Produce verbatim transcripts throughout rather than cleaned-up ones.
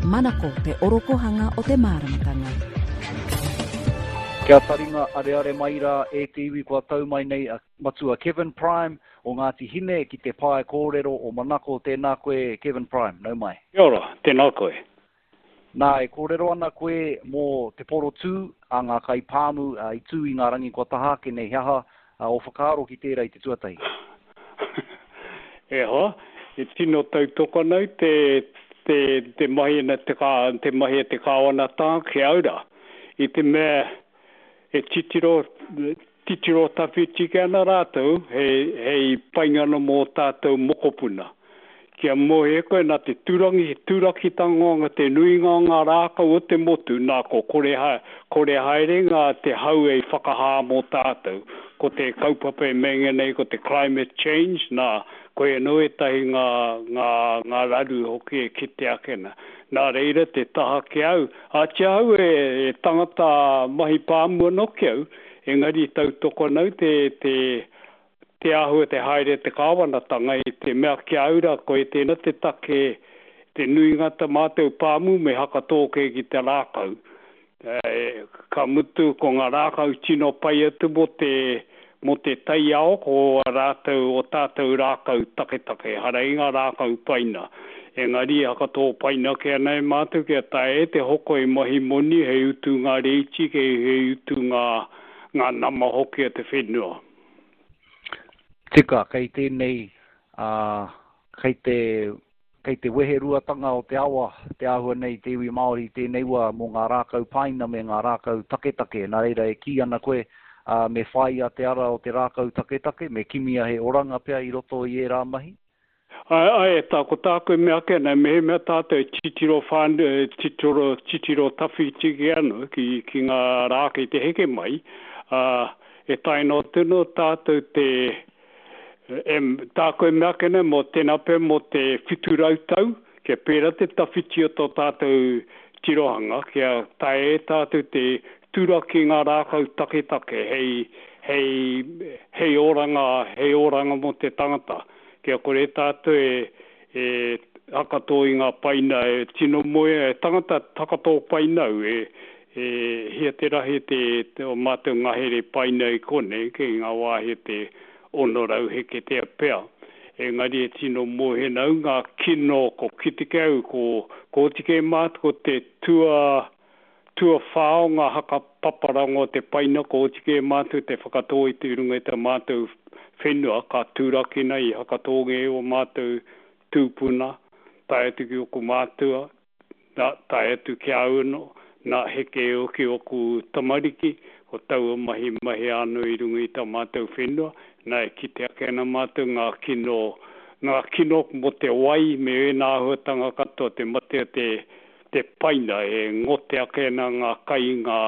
Manako te orokohanga o te māramatanga. Kia taringa areare mai rā e te iwi kua tau mai nei a Matua Kevin Prime o Ngāti Hine ki te pae kōrero o Manako. Tēnā koe Kevin Prime, nau mai. Kia ora, tēnā koe. Nā, e kōrero ana koe mō te porotū a ngā kaipāmu i tū i ngā rangi kua taha ake nei. He aha ō whakaaro ki tērā i te tuatahi? E hoa, e tino tautoko ana au te, te, te mahi ana te, kā, te mahi a te kāwanatanga ki au rā. I te mea e titiro, titiro tawhiti kē ana rātou hei, hei painga ana mō tātou mokopuna. Kia mōhio koe nā te turangi, turakitanga te nuinga o ngā rākau o te motu, nā ko kore, kore haere ngā te hau ei whakahā mō tātou. Ko te kaupapa e meinga nei ko te climate change, nā, koia anō ētahi ngā, ngā, ngā raru hoki e kite ake ana. Nā reira te taha ki au, āti ahau e, e tangata mahi pāmu anō ki au, engari tautoko ana au te, te, te āhua te haere te kāwanatanga i te mea ki a au rā koe tēnā te take te nuinga ta mātou pāmu me hakatō kē ki te rākau. Ka mutu ko ngā rākau tino pai atu mō te mō te taiao ko a rātou o tātou rākau taketake ehara i ngā rākau paina. Engari e hakatō paina kē ana e mātou kia taea e te hoko e mahi moni hei utu ngā rēti hei utu ngā ngā nama hoki o te whenua. Tika, kei tēnei, ā, kei te, kei te weheruatanga o te awa te āhua nei te iwi Māori i tēnei wā mō ngā rākau paina me ngā rākau taketake. Nā reira e kī ana koe, ā, me whāia te ara o te rākau taketake, me kimia he oranga pea i roto i ērā mahi. Āe, āe, tā, ko tāku e mea ake ana, mehemea tātou e titiro whānui, e titiro, titiro tawhiti kē ana ki, ki ngā rā kei te heke mai, ā, e tae noa tonu tātou te, e, tāku e mea ake nei, mō tēnā pea mō te whitu rau tau, kia pērā te tawhiti o tō tātou tirohanga, kia taea e tātou te turaki ngā rākau taketake hei, hei, hei oranga, hei oranga mō te tangata, kia kore tātou e, e hakatō i ngā paina e tino moea, e tangata takatō paina au, e, e hia te rahi te, te o mātou ngahere paina i konei, kei ngā wāhi o te ono rau heketea pea. Engari e tino mōhio ana au ngā kino ko kite kē au, ko, ko oti kē mātou ko te tua, tuawhā o ngā haka paparanga o te paina ko oti kē mātou te whakatō i te runga i tā mātou whenua ka turakina i hakatōngia e ō mātou tūpuna, tae atu ki ōku mātua, nā, tae atu ki a au anō, nā, heke hoki ōku tamariki, ko taua mahi mahea anō i runga i tā mātou whenua, nā, e kite ake ana mātou ngā kino, ngā kino mō te wai me ēnā āhuatanga katoa, te mate o te, te paina e ngote ake ana ngā kai, ngā,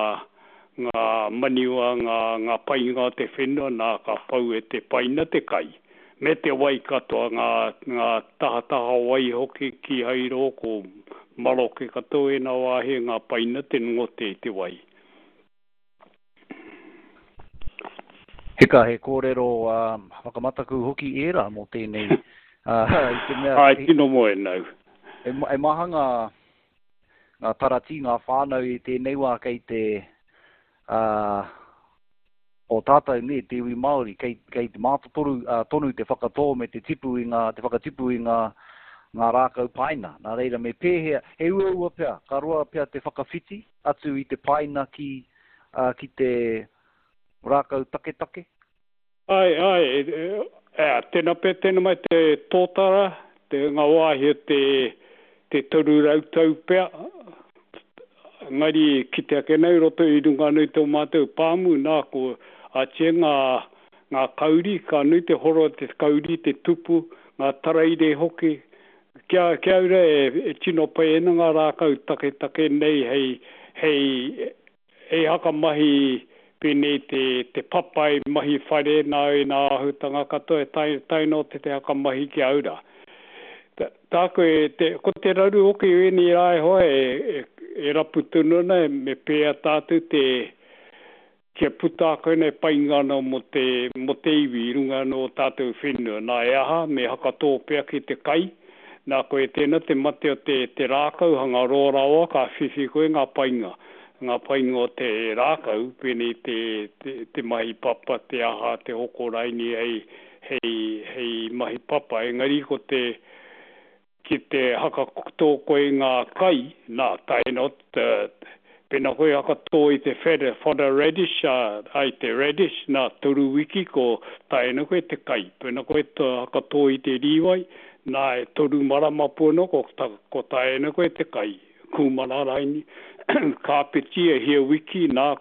ngā maniua, ngā, ngā painga o te whenua, nā, ka pau e te paina te kai, me te wai katoa, ngā, ngā tahataha wai hoki kīhai rō, ko maroke katoa ēnā wāhi e ngā paina te ngote i te wai. Heka, he kōrero whakamataku hoki ērā mō tēnei, i te mea... Āe, tino moe nau. E, e maha ngā, ngā taratī, ngā whānau i tēnei wā kei te, uh, o tātou, nē, te iwi Māori, kei, kei te mātotoru uh, tonu te whakatō me te tipu i ngā, te whakatipu i ngā, ngā rākau paina. Nā reira, me pēhea, he uaua pea, ka roa pea te whakawhiti atu i te paina ki, uh, ki te rākau taketake? Āe, āe, e, tēnā pea, tēnā mai te tōtara, te ngā wāhi o te, te toru rau tau pea, engari kite ake nei roto i runga anō i tō mātou pāmu, nā, ko ātia ngā, ngā kauri, ka nui te horo o te kauri, te tupu, ngā taraire hoki, kia, kia au rā e, e tino pai ana ngā rākau taketake nei hei, hei, hei hakamahi pēnei te, te papai mahi whare nā ēnā āhutanga katoa e tae, tae noa te te hakamahi ki au rā. Tāku e, te, ko te raru hoki o ēnei rā e hoa e, e, e rapu tonu ana me pēhea tātou te, kia puta ake nei painga anō mō te, mō te iwi i runga anō o tātou whenua. Nā, e aha, me hakatō pea ki te kai, Nā, koe tēnā te mate o te, te rākau hanga roa rawa ka whiwhi koe ngā painga. Ngā painga o te rākau, pēnei te, te, te mahi papa, te aha, te hoko raini hei, hei, hei mahi papa. Engari ko te, ki te hakatō koe ngā kai, nā, tae noa, pēnā koe hakatō i te fodder, fodder radish, ai te radish, nā, toru wiki ko tae ana koe te kai. Pēnā koe hakatō i te rīwai, nā, e toru marama pū anō, ko, ta, ko tae ana koe te kai. Kūmara raini, kāpeti e hia wiki, nā,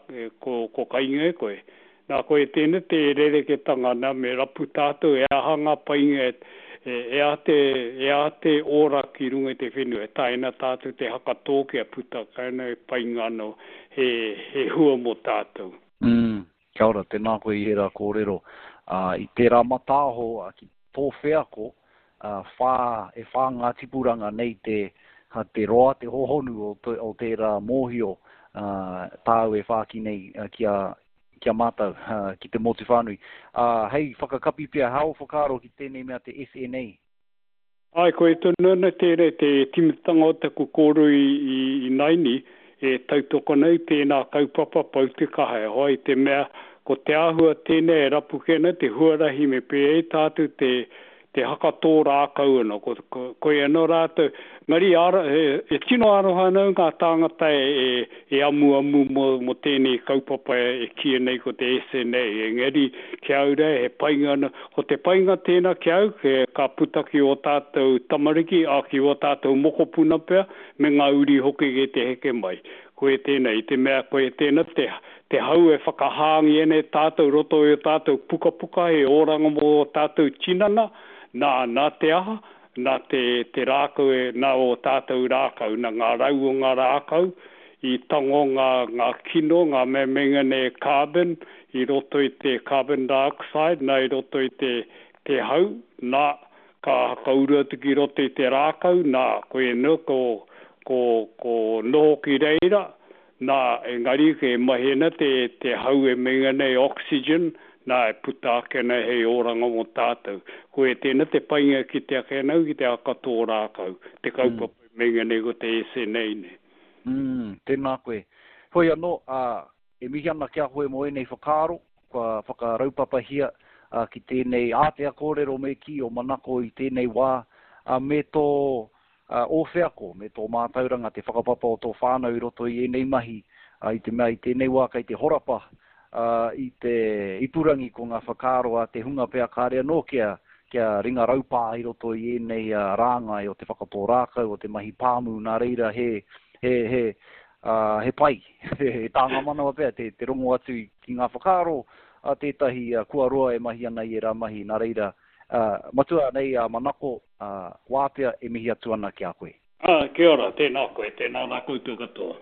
ko, ko kainga e koe. Nā, koe tēnā te rereketanga, nā, me rapu tātou e aha ngā painga e, e, e aha te, e aha te ora ki runga i te whenua, e taea ana tātou te hakatō kia puta kai ana e painga anō, he, he hua mō tātou. Mm, kia ora, tēnā koe i ērā kōrero. Uh, i tērā mataaho uh, ki tō wheako, uh, whā, e whā ngā tipuranga nei te, ha, te roa, te hohonu o, te, o tērā mōhio uh, tāu e whāki nei uh, ki a, ki a mātou, uh, ki te motu whānui. Uh, hei, whakakapi pea, hao whakaaro ki tēnei mea te S N A? Ai, koe tonu ana tērā te timatanga o taku kōrero i, i, i naini, e tautoko nei tēnā kaupapa pau te kaha e hoa i te mea, ko te āhua tēnei e rapu kē ana te huarahi me pēhea tātou te, te hakatō rākau ana, ko, ko, koe anō rātou, ngari ara, e, e tino aroha ana ngā tāngata e, e, e amuamu mō, mō tēnei kaupapa e, e kīia nei ko te S N A, engari ki au rā, he painga ana, ko te painga tēnā ki au, ke, ka puta ki o tātou tamariki, a ki o tātou mokopuna pea, me ngā uri hoki ki te heke mai. Koe tēnā, i te mea koe tēnā te, te hau e whakahāngi ene tātou roto i o tātou pukapuka, he oranga mō o tātou tinana, nā, nā te aha, nā te, te rākau e, nā o tātou rākau, nā ngā rau o ngā rākau, i tango ngā, ngā kino, ngā memenga nei carbon, i roto i te carbon dioxide, nā i roto i te, te hau, nā, ka hakauru atu ki roto i te rākau, nā, koe nō, ko, ko, ko noho ki reira, nā, engari ke mahi ana te, te hau e menga nei oxygen, nā, e puta ake nei hei oranga mō tātou. Ko e tēnā te painga ki te ake nau, ki te hakatō rākau, te kaupapa mm. menga nei ko te S N A nei. Mm, tēnā koe. Hoi anō, uh, e mihi ana ki a koe mō ēnei whakaaro, kua whakaraupapahia uh, ki tēnei ātea kōrero me ki o Manako i tēnei wā, uh, me tō uh, o wheako, me tō mātauranga te whakapapa o tō whānau i roto i ēnei mahi, uh, i te mea i tēnei wā kei te horapa, uh, i te ipurangi ko ngā whakaaro a te hunga pea kāre anō kia, kia ringa raupā i roto i ēnei uh, rāngai o te whakatō rākau, o te mahi pāmu, nā reira he, he, he, uh, he pai, he tānga manawa pea, te, te rongo atu ki ngā whakaaro a tētahi uh, kua roa e mahi ana i ērā mahi, nā reira, uh, matua nei a Manako, uh, wātea e mihi atu ana ki a koe. Ah, kia ora, tēnā koe, tēnā rā koutou katoa.